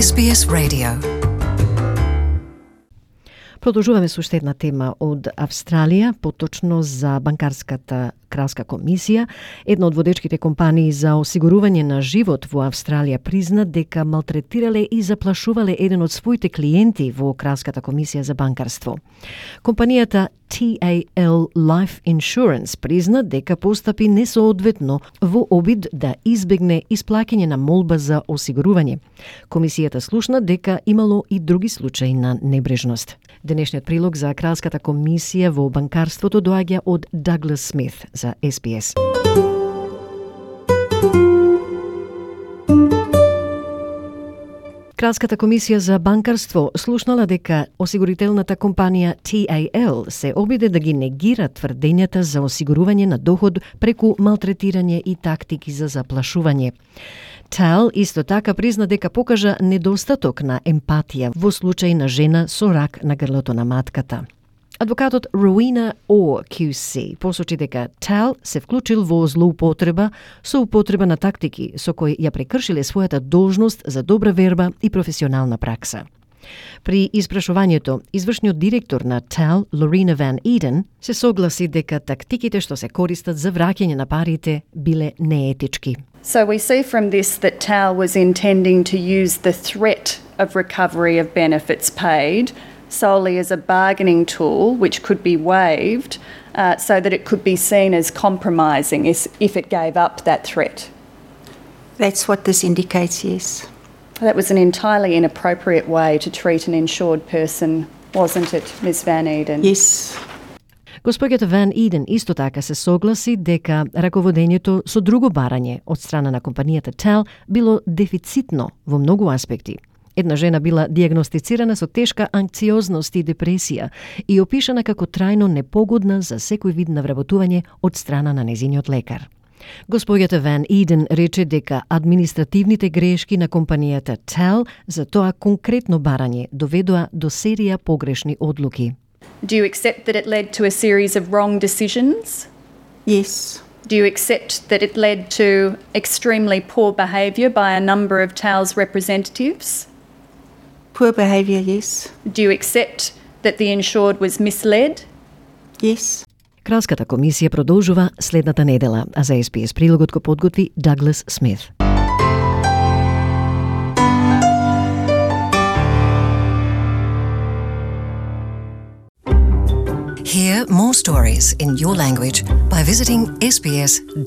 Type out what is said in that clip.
SBS Radio. Продолжуваме со уште една тема од Австралија, поточно за банкарската кралска комисија. Една од водечките компании за осигурување на живот во Австралија призна дека малтретирале и заплашувале еден од своите клиенти во кралската комисија за банкарство. Компанијата TAL Life Insurance призна дека постапи несоодветно во обид да избегне исплаќање на молба за осигурување. Комисијата слушна дека имало и други случаи на небрежност. Денешниот прилог за кралската комисија во банкарството доаѓа од Даглас Смит за SBS. Кралската комисија за банкарство слушнала дека осигурителната компанија TAL се обиде да ги негира тврдењата за осигурување на доход преку малтретирање и тактики за заплашување. TAL исто така призна дека покажа недостаток на емпатија во случај на жена со рак на грлото на матката. Адвокатот Rowena Orr QC посочи дека TAL се вклучил во злоупотреба со употреба на тактики со кои ја прекршиле својата должност за добра верба и професионална пракса. При испрашувањето, извршниот директор на TAL, Lorena Van Eden, се согласи дека тактиките што се користат за враќање на парите биле неетички. So we see from this that TAL was intending to use the threat of recovery of benefits paid solely as a bargaining tool which could be waived so that it could be seen as compromising if it gave up that threat. That's what this indicates, yes. That was an entirely inappropriate way to treat an insured person, wasn't it, Ms. Van Eden? Yes. Госпоѓата Ван Иден исто така се согласи дека раководењето со друго барање од страна на компанијата TAL било дефицитно во многу аспекти. Една жена била дијагностицирана со тешка анксиозност и депресија и опишана како трајно непогодна за секој вид навработување од страна на незиниот лекар. Госпоѓата Ван Иден рече дека административните грешки на компанијата TAL за тоа конкретно барање доведоа до серија погрешни одлуки. Do you accept that it led to a series of wrong decisions? Yes. Do you accept that it led to extremely poor behaviour by a number of TAL's representatives? Poor behaviour, yes. Do you accept that the insured was misled? Yes. Кралската комисија продолжува следната недела, а за SBS прилогот го подготви Даглас Смит. Hear more stories in your language by visiting sbs.com.au.